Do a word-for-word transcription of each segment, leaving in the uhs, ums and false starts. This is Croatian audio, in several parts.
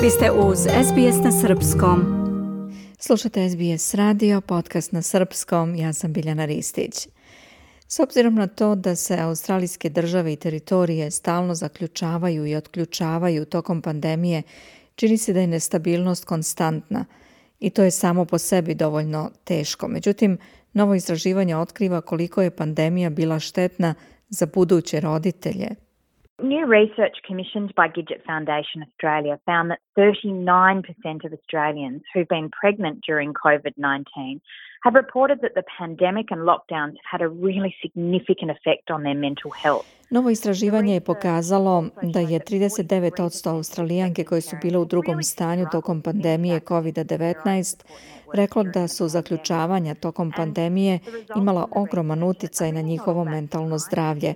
Vi ste uz S B S na srpskom. Slušate S B S radio, podcast na srpskom, ja sam Biljana Ristić. S obzirom na to da se australijske države i teritorije stalno zaključavaju i otključavaju tokom pandemije, čini se da je nestabilnost konstantna i to je samo po sebi dovoljno teško. Međutim, novo istraživanje otkriva koliko je pandemija bila štetna za buduće roditelje. New research commissioned by Gidget Foundation Australia found that thirty-nine percent of Australians who've been pregnant during covid nineteen have reported that the pandemic and lockdowns had a really significant effect on their mental health. Novo istraživanje je pokazalo da je trideset devet posto Australijanke koje su bile u drugom stanju tokom pandemije covid devetnaest reklo da su zaključavanja tokom pandemije imala ogroman utjecaj na njihovo mentalno zdravlje.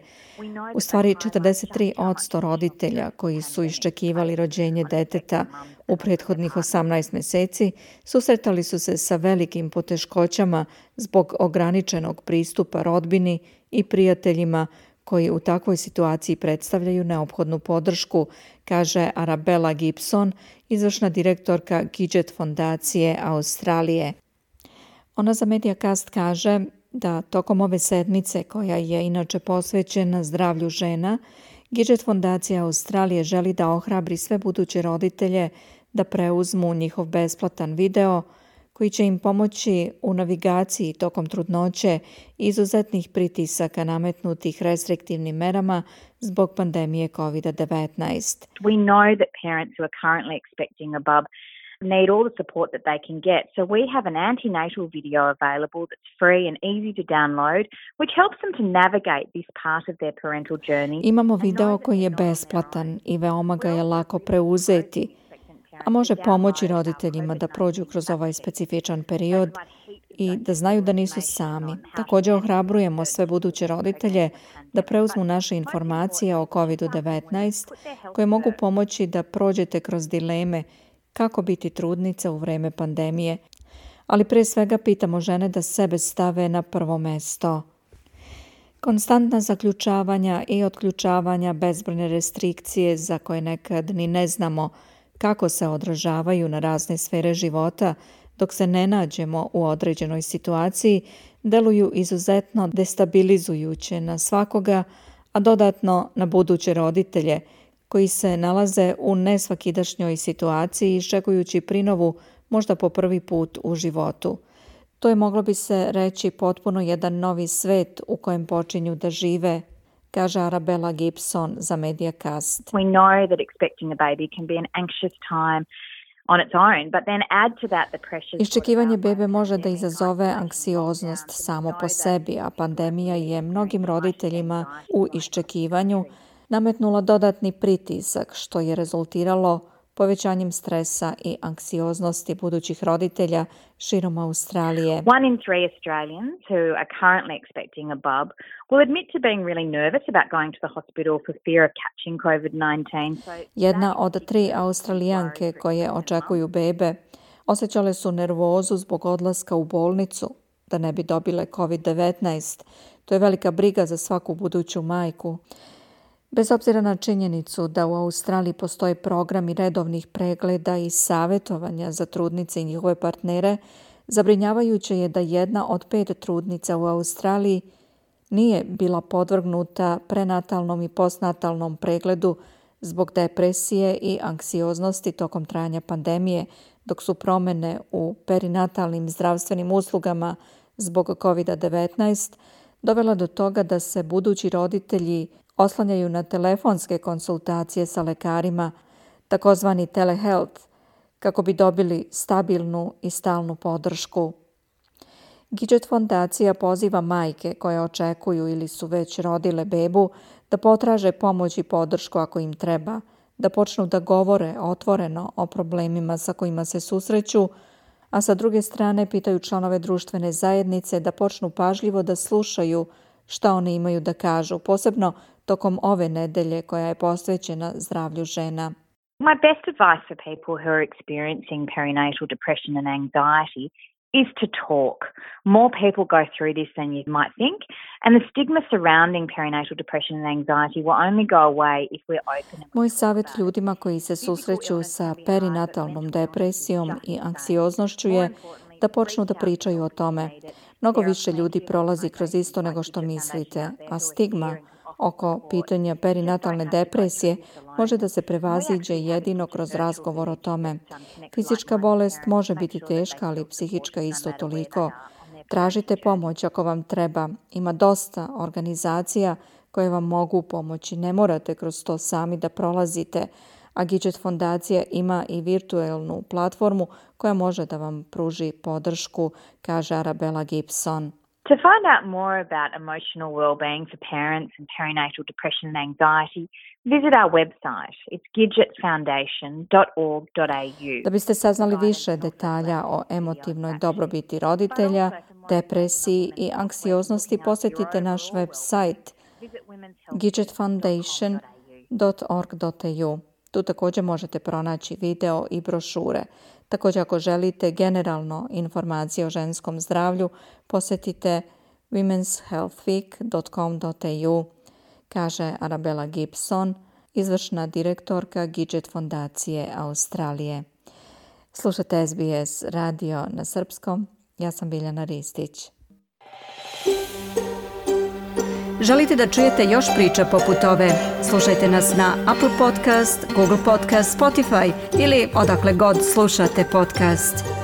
U stvari, četrdeset tri posto roditelja koji su iščekivali rođenje deteta u prethodnih osamnaest mjeseci susretali su se sa velikim poteškoćama zbog ograničenog pristupa rodbini i prijateljima koji u takvoj situaciji predstavljaju neophodnu podršku, kaže Arabella Gibson, izvršna direktorka Gidget fondacije Australije. Ona za Mediacast kaže da tokom ove sedmice, koja je inače posvećena zdravlju žena, Gidget fondacija Australije želi da ohrabri sve buduće roditelje da preuzmu njihov besplatan video koji će im pomoći u navigaciji tokom trudnoće i izuzetnih pritisaka nametnutih restriktivnim merama zbog pandemije covid devetnaest. We know that parents who are currently expecting a bub need all the support that they can get. So we have an antenatal video available that's free and easy to download, which helps them to navigate this part of their parental journey. Imamo video koji je besplatan i veoma ga je lako preuzeti, a može pomoći roditeljima da prođu kroz ovaj specifičan period i da znaju da nisu sami. Također ohrabrujemo sve buduće roditelje da preuzmu naše informacije o covid devetnaest koje mogu pomoći da prođete kroz dileme kako biti trudnica u vrijeme pandemije. Ali prije svega pitamo žene da sebe stave na prvo mjesto. Konstantna zaključavanja i otključavanja, bezbrojne restrikcije za koje nekad ni ne znamo kako se odražavaju na razne sfere života dok se ne nađemo u određenoj situaciji, deluju izuzetno destabilizujuće na svakoga, a dodatno na buduće roditelje koji se nalaze u nesvakidašnjoj situaciji iščekujući prinovu možda po prvi put u životu. To je, moglo bi se reći, potpuno jedan novi svet u kojem počinju da žive, kaže Arabella Gibson za Mediacast. We know that expecting a baby can be an anxious time on its own, but then add to that the pressures. Iščekivanje bebe može da izazove anksioznost samo po sebi, a pandemija je mnogim roditeljima u iščekivanju nametnula dodatni pritisak, što je rezultiralo povećanjem stresa i anksioznosti budućih roditelja širom Australije. One in three Australians who are currently expecting a bub will admit to being really nervous about going to the hospital for fear of catching covid nineteen. Jedna od tri Australijanke koje očekuju bebe osjećale su nervozu zbog odlaska u bolnicu da ne bi dobile covid devetnaest. To je velika briga za svaku buduću majku. Bez obzira na činjenicu da u Australiji postoje programi redovnih pregleda i savjetovanja za trudnice i njihove partnere, zabrinjavajuće je da jedna od pet trudnica u Australiji nije bila podvrgnuta prenatalnom i postnatalnom pregledu zbog depresije i anksioznosti tokom trajanja pandemije, dok su promjene u perinatalnim zdravstvenim uslugama zbog covid devetnaest dovela do toga da se budući roditelji oslanjaju na telefonske konsultacije sa lekarima, takozvani telehealth, kako bi dobili stabilnu i stalnu podršku. Gidget fondacija poziva majke koje očekuju ili su već rodile bebu da potraže pomoć i podršku ako im treba, da počnu da govore otvoreno o problemima sa kojima se susreću, a sa druge strane pitaju članove društvene zajednice da počnu pažljivo da slušaju šta oni imaju da kažu, posebno tokom ove nedelje koja je posvećena zdravlju žena. My best advice for people who are experiencing perinatal depression and anxiety is to talk. More people go through this than you might think, and the stigma surrounding perinatal depression and anxiety will only go away if we're open. Moj savjet ljudima koji se susreću sa perinatalnom depresijom i anksioznošću je da počnu da pričaju o tome. Mnogo više ljudi prolazi kroz isto nego što mislite, a stigma oko pitanja perinatalne depresije može da se prevaziđe jedino kroz razgovor o tome. Fizička bolest može biti teška, ali psihička isto toliko. Tražite pomoć ako vam treba. Ima dosta organizacija koje vam mogu pomoći. Ne morate kroz to sami da prolazite. A Gidget fondacija ima i virtualnu platformu koja može da vam pruži podršku, kaže Arabella Gibson. To find out more about emotional well-being for parents and perinatal depression and anxiety, visit our website. It's gidget foundation dot org dot a u. Da biste saznali više detalja o emotivnoj dobrobiti roditelja, depresiji i anksioznosti, posjetite naš website gidget foundation dot org dot a u. Tu također možete pronaći video i brošure. Također ako želite generalno informacije o ženskom zdravlju, posjetite womens health week dot com dot a u, kaže Arabella Gibson, izvršna direktorka Gidget fondacije Australije. Slušate S B S radio na srpskom. Ja sam Biljana Ristić. Želite da čujete još priča poput ove? Slušajte nas na Apple Podcast, Google Podcast, Spotify ili odakle god slušate podcast.